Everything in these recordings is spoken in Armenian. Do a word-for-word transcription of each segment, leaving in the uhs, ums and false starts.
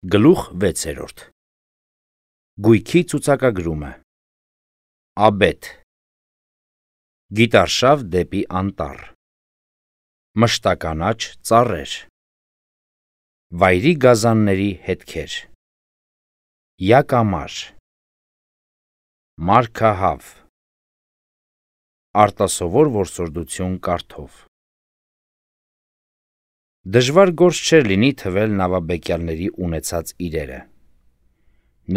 Գլուխ վեցերորդ Գույքի ցուցակագրումը Աբեթ Գիտարշավ դեպի անտառ Մշտականաչ ծառեր Վայրի գազանների հետքեր Յակամար Մարգահավ Արտասովոր որսորդություն կարդով Դժվար գործ չէր լինի թվել նավաբեկյալների ունեցած իրերը։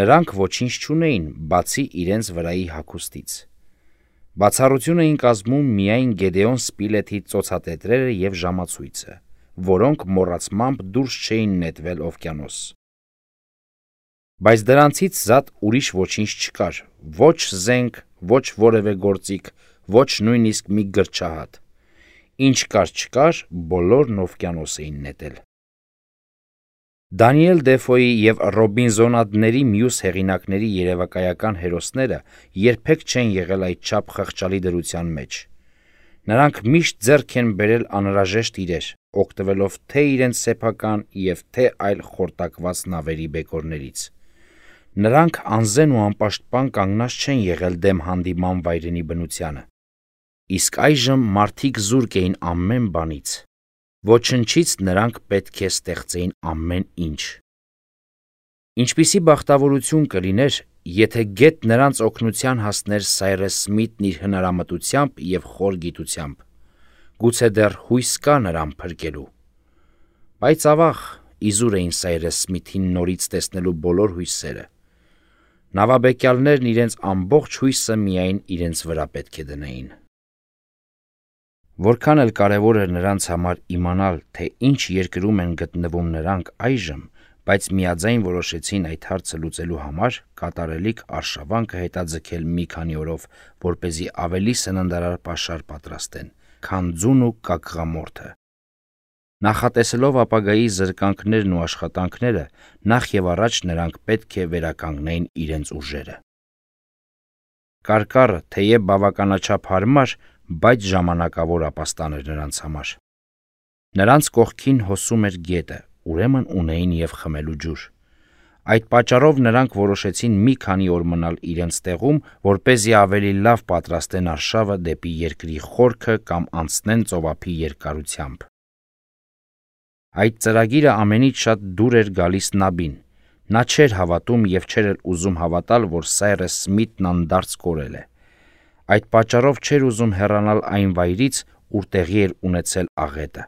Նրանք ոչինչ չունեին, բացի իրենց վրայի հագուստից։ Բացառություն էին կազմում միայն Գեդեոն Սպիլեթի ծոցատետրերը և ժամացույցը, որոնք մոռացմամբ դուրս չէին նետվել օվկիանոս։ Բայց դրանցից զատ ուրիշ ոչինչ չկար, ոչ զենք, ոչ որևէ գործիք, ոչ նույնիսկ մի գրչահատ։ Ինչ կար չկար, բոլորն օվկիանոս էին նետել։ Դանիել Դեֆոյի և Ռոբինզոնադների մյուս հեղինակների երևակայական հերոսները երբեք չեն եղել այդչափ խղճալի դրության մեջ։ Նրանք միշտ ձեռք են բերել անհրաժեշտ իրեր, օգտվելով թե իրենց սեփական և թե այլ խորտակված նավերի բեկորներից։ Նրանք անզեն ու անպաշտպան կանգնած չեն եղել դեմ հանդիման վայրենի բնությանը։ Իսկ այժմ մարդիկ զուրկ էին ամեն բանից։ Ոչնչից նրանք պետք է ստեղծեին ամեն ինչ։ Ինչպիսի բախտավորություն կլիներ, եթե գեթ նրանց օգնության հասներ Սայրես Սմիթն իր հնարամտությամբ և խոր գիտությամբ։ Գուցե դեռ հույս կա նրան փրկելու։ Բայց ավաղ, իզուր էին Սայրես Սմիթին նորից տեսնելու բոլոր հույսերը։ Նավաբեկյալներն իրենց ամբողջ հույսը միայն իրենց վրա պետք է դնեին։ Որքան էլ կարևոր էր նրանց համար իմանալ, թե ինչ երկրում են գտնվում նրանք այժմ, բայց միաձայն որոշեցին այդ հարցը լուծելու համար կատարելիք արշավանքը հետաձգել մի քանի օրով, որպեսզի ավելի սննդարար պաշար պատրաստեն, քան ձուն ու կակղամորթը։ Նախատեսելով ապագայի զրկանքներն ու աշխատանքները, նախ և առաջ նրանք պետք է վերականգնեին իրենց ուժերը։ Կարկառը, թեև բավականաչափ հարմար, բայց ժամանակավոր ապաստան էր նրանց համար։ Նրանց կողքին հոսում էր գետը, ուրեմն ունեին և խմելու ջուր։ Այդ պատճառով նրանք որոշեցին մի քանի օր մնալ իրենց տեղում, որպեսզի ավելի լավ պատրաստեն արշավը դեպի երկրի խորքը կամ անցնեն ծովափի երկարությամբ։ Այդ ծրագիրը ամենից շատ դուր էր գալիս Նաբին։ Նա չէր հավատում և չէր էլ ուզում հավատալ, որ Սայրես Սմիթն անդարձ կորել է։ Այդ պատճառով չէր ուզում հեռանալ այն վայրից, ուր տեղի էր ունեցել աղետը։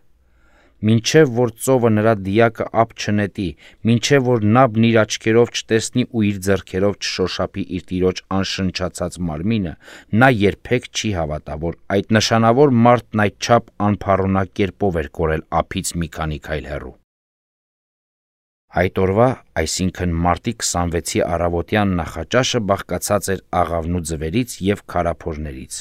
Մինչև որ ծովը նրա դիակը ափ չնետի, մինչև որ Նաբն իր աչքերով չտեսնի ու իր ձեռքերով չշոշափի իր տիրոջ անշնչացած մարմինը, նա երբեք չի հավատա, որ այդ նշանավոր մարդն այդչափ անփառունակ կերպով էր կորել ափից մի քանի քայլ հեռու։ Այդ օրվա, այսինքն մարտի քսանվեցի առավոտյան նախաճաշը բաղկացած էր աղավնու ձվերից և քարափորներից։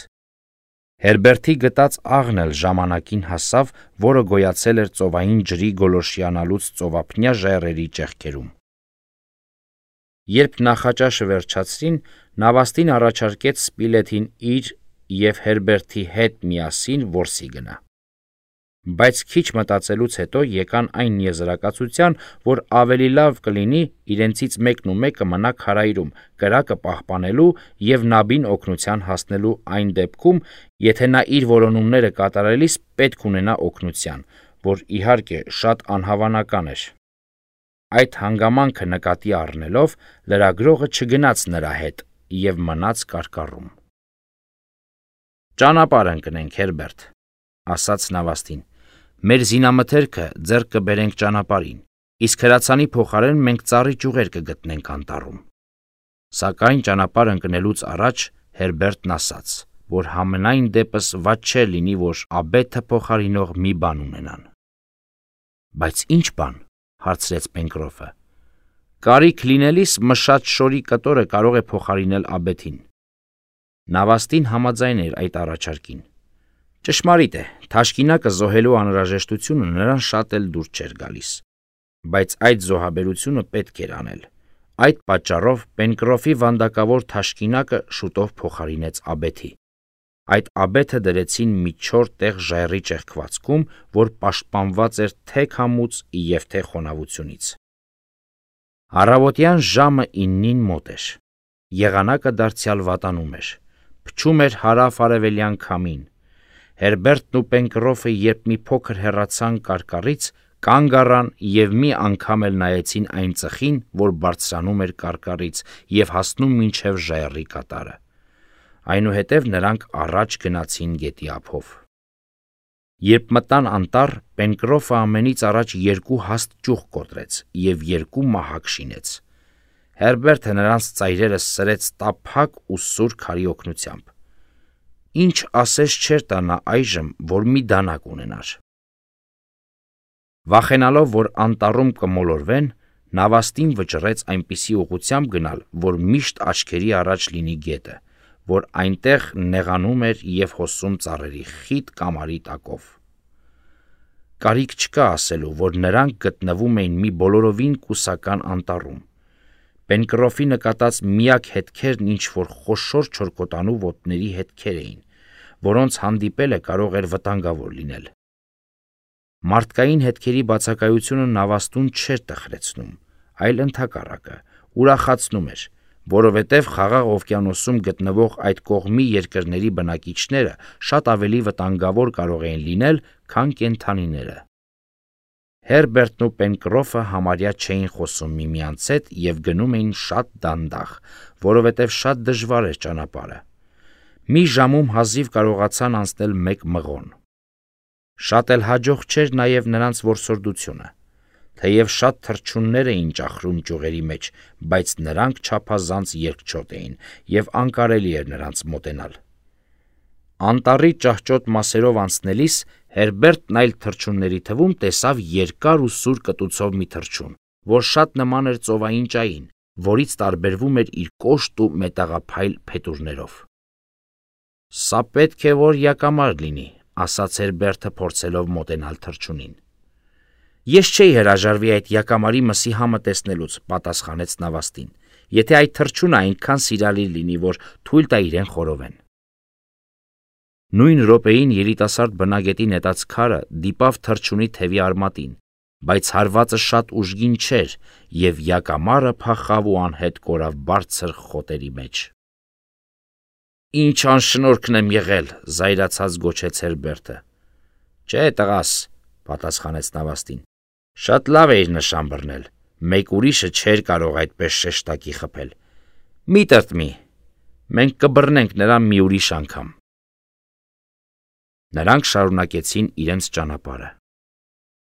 Հերբերտի գտած աղն էլ ժամանակին հասավ, որը գոյացել էր ծովային ջրի գոլորշիանալուց ծովափնյա ժայռերի ճեղքերում։ Երբ նախաճաշը վերջացրին, նավաստին առաջարկեց Սպիլեթին իր և Հերբերտի հետ միասին որսի գնա։ Բայց քիչ մտածելուց հետո եկան այն եզրակացության, որ ավելի լավ կլինի իրենցից մեկն ու մեկը մնա քարայրում, կրակը պահպանելու և Նաբին օգնության հասնելու այն դեպքում, եթե նա իր որոնումները կատարելիս պետք ունենա օգնության, որ իհարկե շատ անհավանական էր։ Այդ հանգամանքը նկատի առնելով, լրագրողը չգնաց նրա հետ և մնաց կարկառում։ «Ճանապարհ ընկնենք, Հերբերտ», ասաց նավաստին։ «Մեր զինամթերքը ձեռք կբերենք ճանապարհին, իսկ հրացանի փոխարեն մենք ծառի ճյուղեր կգտնենք անտառում»։ Սակայն ճանապարհ ընկնելուց առաջ Հերբերտն ասաց, որ համենայն դեպս վատ չէր լինի, որ աբեթը փոխարինող մի բան ունենան։ «Բայց ի՞նչ բան», հարցրեց Պենկրոֆը։ «Կարիք լինելիս մշած շորի կտորը կարող է փոխարինել աբեթին»։ Նավաստին համաձայն էր այդ առաջարկին։ Ճշմարիտ է, թաշկինակը զոհելու անհրաժեշտությունը նրան շատ էլ դուր չէր գալիս։ Բայց այդ զոհաբերությունը պետք էր անել։ Այդ պատճառով Պենկրոֆի վանդակավոր թաշկինակը շուտով փոխարինեց աբեթի։ Այդ աբեթը դրեցին մի չոր տեղ ժայռի ճեղքվածքում, որ պաշտպանված էր թե քամուց և թե խոնավությունից։ Առավոտյան ժամը իննին մոտ էր, եղանակը դարձյալ վատանում էր, փչում էր հարավ-արևելյան քամին, Հերբերտն ու Պենկրոֆը երբ մի փոքր հեռացան կարկառից, կանգ առան և մի անգամ էլ նայեցին այն ծխին, որ բարձրանում էր կարկառից և հասնում մինչև ժայռի կատարը, այնուհետև նրանք առաջ գնացին գետի ափով։ Երբ մտան անտառ, Պենկրոֆը ամենից առաջ երկու հաստ ճյուղ կոտրեց և երկու մահակ շինեց։ Հերբերտը նրանց ծայրերը սրեց տափակ ու սուր քարի օգնությամբ։ Ինչ ասես չէր տա նա այժմ, որ մի դանակ ունենար։ Վախենալով, որ անտառում կմոլորվեն, նավաստին վճռեց այնպիսի ուղղությամբ գնալ, որ միշտ աչքերի առաջ լինի գետը, որ այնտեղ նեղանում էր և հոսում ծառերի խիտ կամարի տակով։ Կարիք չկա ասելու, որ նրանք գտնվում էին մի բոլորովին կուսական անտառում։ Պենկրոֆի նկատած միակ հետքերն ինչ-որ խոշոր չորքոտանու ոտների հետքեր էին, որոնց հանդիպելը կարող էր վտանգավոր լինել։ Մարդկային հետքերի բացակայությունը նավաստուն չէր տխրեցնում, այլ ընդհակառակը, ուրախացնում էր, որովհետև Խաղաղ օվկիանոսում գտնվող այդ կողմի երկրների բնակիչները շատ ավելի վտանգավոր կարող էին լինել, քան կենդանիները։ Հերբերտն ու Պենկրոֆը համարյա չէին խոսում միմյանց հետ և գնում էին շատ դանդաղ, որովհետև շատ դժվար էր ճանապարհը։ Մի ժամում հազիվ կարողացան անցնել մեկ մղոն։ Շատ էլ հաջող չէր նաև նրանց որսորդությունը։ Թեև շատ թռչուններ էին ճախրում ճյուղերի մեջ, բայց նրանք չափազանց երկչոտ էին, և անկարելի էր նրանց մոտենալ։ Անտառի ճահճոտ մասերով անցնելիս Հերբերտն այլ թռչունների թվում տեսավ երկար ու սուր կտուցով մի թռչուն, որ շատ նման էր ծովային ճային, որից տարբերվում էր իր կոշտ ու մետաղափայլ փետուրներով։ «Սա պետք է որ յակամար լինի», ասաց Հերբերտը, փորձելով մոտենալ թռչունին։ «Ես չէի հրաժարվի այդ յակամարի մսի համը տեսնելուց», պատասխանեց նավաստին, «եթե այդ թռչունը այնքան սիրալիր լինի, որ թույլ տա իրեն խորովեն»։ Նույն րոպեին երիտասարդ բնագետի նետած քարը դիպավ թռչունի թևի արմատին, բայց հարվածը շատ ուժգին չէր, և յակամարը փախավ ու անհետ կորավ բարձր խոտերի մեջ։ «Ինչ անշնորհքն եմ եղել», զայրացած գոչեց Հերբերտը։ «Չէ, տղաս», պատասխանեց նավաստին, «շատ լավ էիր նշան բռնել, մեկ ուրիշը չէր կարող այդպես շեշտակի խփել։ Մի տրտմի, մենք կբռնենք նրան մի ուրիշ անգամ»։ Նրանք շարունակեցին իրենց ճանապարհը։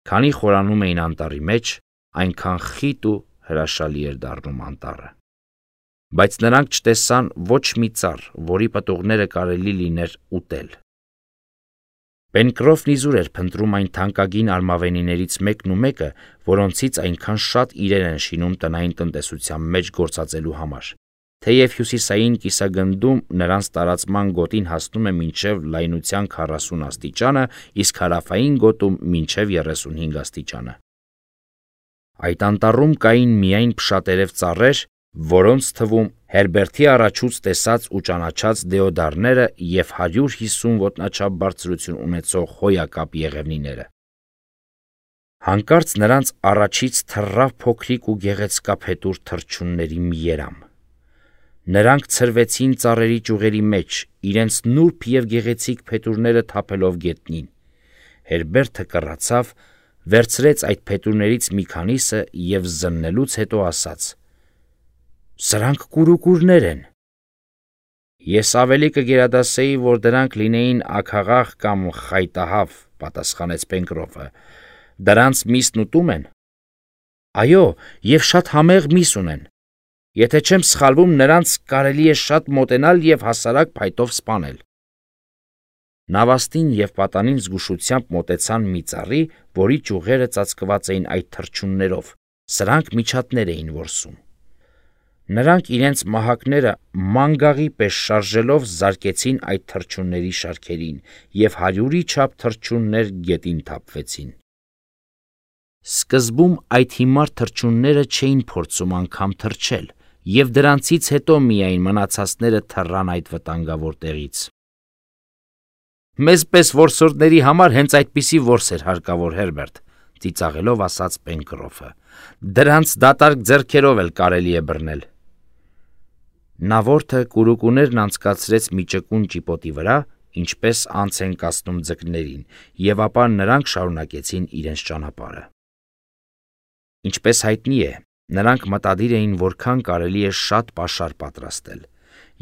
Քանի խորանում էին անտառի մեջ, այնքան խիտ ու հրաշալի էր դառնում անտառը։ Բայց նրանք չտեսան ոչ մի ծառ, որի պտուղները կարելի լիներ ուտել։ Պենկրոֆն իզուր էր փնտրում այն թանկագին արմավենիներից մեկն ու մեկը, որոնցից այնքան շատ իրեր են շինում տնային տնտեսության մեջ գործածելու համար, թեև հյուսիսային կիսագնդում նրանց տարածման գոտին հասնում է մինչև լայնության քառասուն աստիճանը, իսկ հարավային գոտում մինչև երեսունհինգ աստիճանը։ Այդ անտառում կային միայն փշատերև ծառեր, որոնց թվում Հերբերտի առաջուց տեսած ու ճանաչած դեոդարները և հարյուր հիսուն ոտնաչափ բարձրություն ունեցող հոյակապ եղևնիները։ Հանկարծ նրանց առաջից թռավ փոքրիկ ու գեղեցկափետուր թռչունների մի երամ։ Նրանք ցրվեցին ծառերի ճյուղերի մեջ, իրենց նուրբ և գեղեցիկ փետուրները թափելով գետնին։ Հերբերտը կռացավ, վերցրեց այդ փետուրներից մի քանիսը և զննելուց հետո ասաց. «Սրանք կուրուկուրներ են»։ «Ես ավելի կգերադասեի, որ դրանք լինեին աքաղաղ կամ խայտահավ», պատասխանեց Պենկրոֆը։ «Դրանց միսն ուտում են»։ «Այո, և շատ համեղ միս ունեն։ Եթե չեմ սխալվում, նրանց կարելի է շատ մոտենալ և հասարակ փայտով սպանել»։ Նավաստին և պատանին զգուշությամբ մոտեցան մի ծառի, որի ճյուղերը ծածկված էին այդ թռչուններով, սրանք միջատներ էին որսում։ Նրանք իրենց մահակները մանգաղի պես շարժելով զարկեցին այդ թռչունների շարքերին, և հարյուրի չափ թռչուններ գետին թափվեցին։ Սկզբում այդ հիմար թռչունները չէին փորձում անգամ թռչել, և դրանցից հետո միայն մնացածները թռան այդ վտանգավոր տեղից։ «Մեզ պես որսորդների համար հենց այդպիսի որս էր հարկավոր, Հերբերտ, ծիծաղելով ասաց Պենկրոֆը։ Դրանց դատարկ ձեռքերով էլ կարելի է բռնել։ Նավորդը կուրուկուներն անցկացրեց մի ճկուն ճիպոտի վրա, ինչպես անց են կացնում ձկներին, եւ ապա նրանք շարունակեցին իրենց ճանապարհը։ Ինչպես հայտնի է, նրանք մտադիր էին որքան կարելի է շատ պաշար պատրաստել,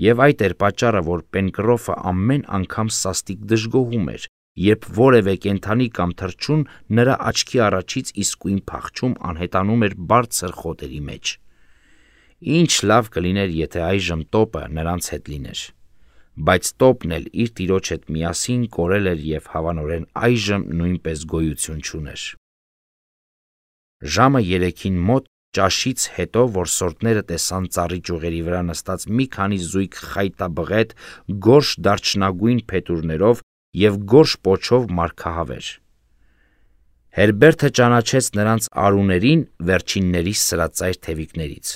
եւ այդ էր պատճառը, որ Պենկրոֆը ամեն անգամ սաստիկ դժգոհում էր, երբ որևէ կենդանի կամ թռչուն նրա աչքի առաջից իսկույն փախչում անհետանում էր բարձր խոտերի մեջ։ Ինչ լավ կլիներ, եթե այժմ տոպը նրանց հետ լիներ, բայց տոպն էլ իր տիրոջ հետ միասին կորել էր եւ հավանորեն այժմ նույնպես գոյություն չուներ։ Ժամը երեքին մոտ ճաշից հետո որսորդները տեսան ծառի ճյուղերի վրա նստած մի քանի զույգ խայտաբղետ գորշ դարչնագույն փետուրներով եւ գորշ պոչով մարգահավեր։ Հերբերտը ճանաչեց նրանց արուներին վերջինների սրածայր թևիկներից։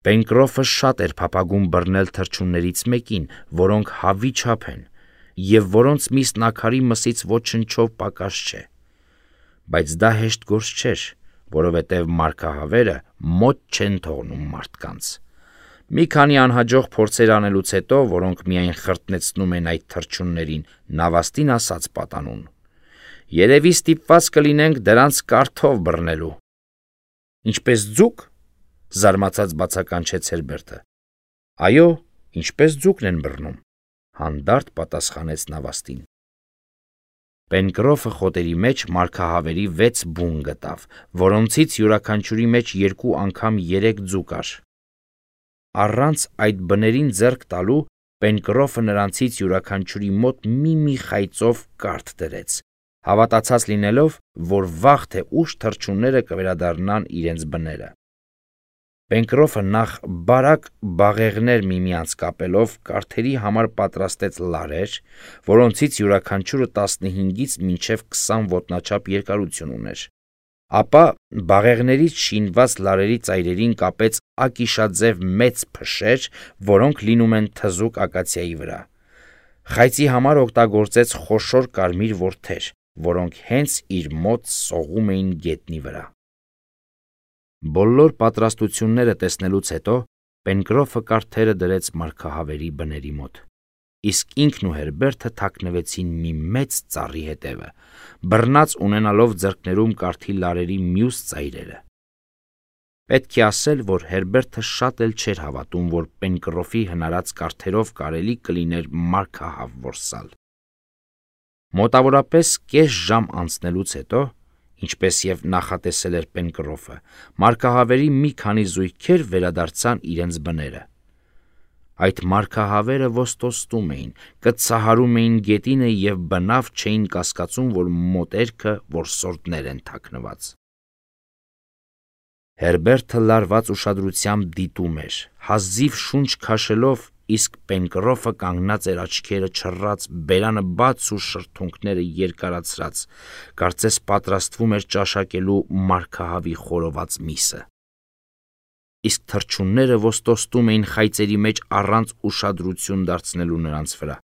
Պենկրոֆը շատ էր փափագում բռնել թռչուններից մեկին, որոնք հավի չափ են եւ որոնց միս նակարի մսից ոչնչով պակաս չէ, բայց դա հեշտ գործ չէր, որովհետև մարգահավերը մոտ չեն թողնում մարդկանց։ Մի քանի անհաջող փորձեր անելուց հետո, որոնք միայն խրտնեցնում են այդ թռչուններին, նավաստին ասաց պատանուն. Երևի ստիպված կլինենք դրանց կարթով բռնելու։ Ինչպես ձուկ, զարմացած բացականչեց Հերբերտը։ Այո, ինչպես ձուկն են բռնում, հանդարտ պատասխանեց նավաստին։ Պենկրոֆը խոտերի մեջ մարգահավերի վեց բուն գտավ, որոնցից յուրաքանչյուրի մեջ երկու անգամ երեք ձու կար։ Առանց այդ բներին ձեռք տալու Պենկրոֆը նրանցից յուրաքանչյուրի մոտ մի-մի խայծով կարթ դրեց, հավատացած լինելով, որ վաղ թե ուշ թռչունները կվերադառնան իրենց բները։ Պենկրոֆը նախ բարակ բաղեղներ միմյանց կապելով կարթերի համար պատրաստեց լարեր, որոնցից յուրաքանչյուրը տասնհինգից մինչև քսան ոտնաչափ երկարություն ուներ։ Ապա բաղեղներից շինված լարերի ծայրերին կապեց ակիշաձև մեծ փշեր, որոնք լինում են թզուկ ակացիայի վրա։ Խայծի համար օգտագործեց խոշոր կարմիր որդեր, որոնք հենց իր մոտ սողում էին գետնի վրա։ Բոլոր պատրաստությունները տեսնելուց հետո Պենկրոֆը կարթերը դրեց մարգահավերի բների մոտ, իսկ ինքն ու Հերբերտը թաքնվեցին մի մեծ ծառի հետևը, բռնած ունենալով ձեռքներում կարթի լարերի մյուս ծայրերը։ Պետք է ասել, որ Հերբերտը շատ էլ չէր հավատում, որ Պենկրոֆի հնարած կարթերով կարելի կլիներ մարգահավ որսալ։ Մոտավորապես կես ժամ անցնելուց հետո, ինչպես եւ նախատեսել էր Պենկրոֆը, մարգահավերի մի քանի զույգեր վերադարձան իրենց բները։ Այդ մարգահավերը ոստոստում էին, կծահարում էին գետինը եւ բնավ չէին կասկածում, որ մոտերքը որսորդներ են թաքնված։ Հերբերտը լարված ուշադրությամբ դիտում էր, հազիվ շունչ քաշելով, իսկ Պենկրոֆը կանգնած էր աչքերը չռած, բերանը բաց ու շրթունքները երկարացրած, կարծես պատրաստվում էր ճաշակելու մարգահավի խորոված միսը։ Իսկ թռչունները ոստոստում էին խայծերի մեջ առանց ուշադրություն դարձնելու նրանց վրա։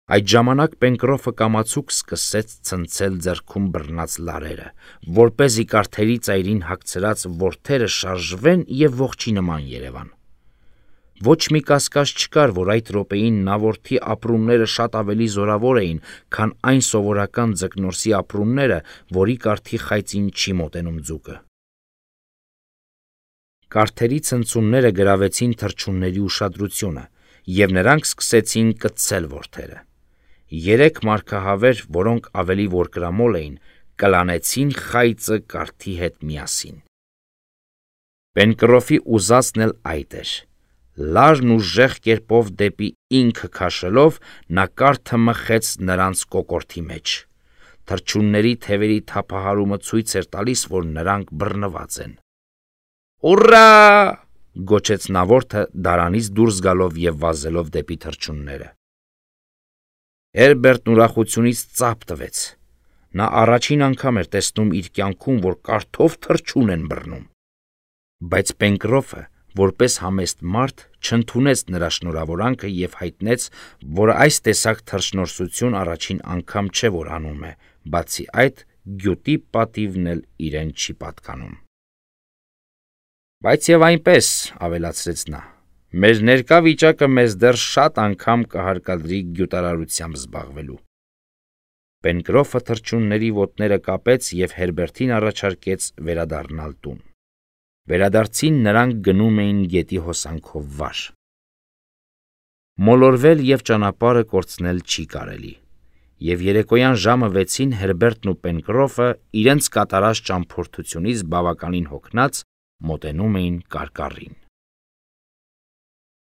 Այդ ժամանակ Պենկրոֆը կամացուկ սկսեց ցնցել ձեռքում բռնած լարերը, որպեսզի կարթերի ծայրին հագցրած որդերը շարժվեն եւ ողջի նման երևան։ Ոչ մի կասկած չկար, որ այդ րոպեին նավորդի ապրումները շատ ավելի զորավոր էին, քան այն սովորական ձկնորսի ապրումները, որի կարթի խայծին չի մոտենում ձուկը։ Կարթերի ցնցումները գրավեցին թռչունների ուշադրությունը, եւ նրանք սկսեցին կծել որդերը։ Երեք մարգահավեր, որոնք ավելի որկրամոլ էին, կլանեցին խայծը կարթի հետ միասին։ Պենկրոֆի ուզածն էլ այդ էր։ Լարն ուժեղ կերպով դեպի ինքը քաշելով, նա կարթը մխեց նրանց կոկորդի մեջ։ Թռչունների թևերի թափահարումը ցույց էր տալիս, որ նրանք բռնված են։ Ուռա! Գոչեց նավորդը դարանից դուրս գալով եւ վազելով դեպի թռչունները։ Հերբերտն ուրախությունից ծափ տվեց։ Նա առաջին անգամ էր տեսնում իր կյանքում, որ կարթով թռչուն են բռնում։ Բայց Պենկրոֆը, որպես համեստ մարդ, չընդունեց նրա շնորհավորանքը եւ հայտնեց, որ այս տեսակ թռչնորսություն առաջին անգամ չէ, որ անում է, բացի այդ գյուտի պատիվն էլ իրեն չի պատկանում։ Բայց եւ այնպես, ավելացրեց նա, մեր ներկա վիճակը մեզ դեռ շատ անգամ կհարկադրի գյուտարարությամբ զբաղվելու։ Պենկրոֆը թռչունների ոտները կապեց եւ Հերբերտին առաջարկեց վերադառնալ տուն։ Վերադարձին նրանք գնում էին գետի հոսանքով վար։ Մոլորվել եւ ճանապարհը կորցնել չի կարելի, եւ երեկոյան ժամը վեցին Հերբերտն ու Պենկրոֆը իրենց կատարած ճամփորդությունից բավականին հոգնած մոտենում էին կարկառին։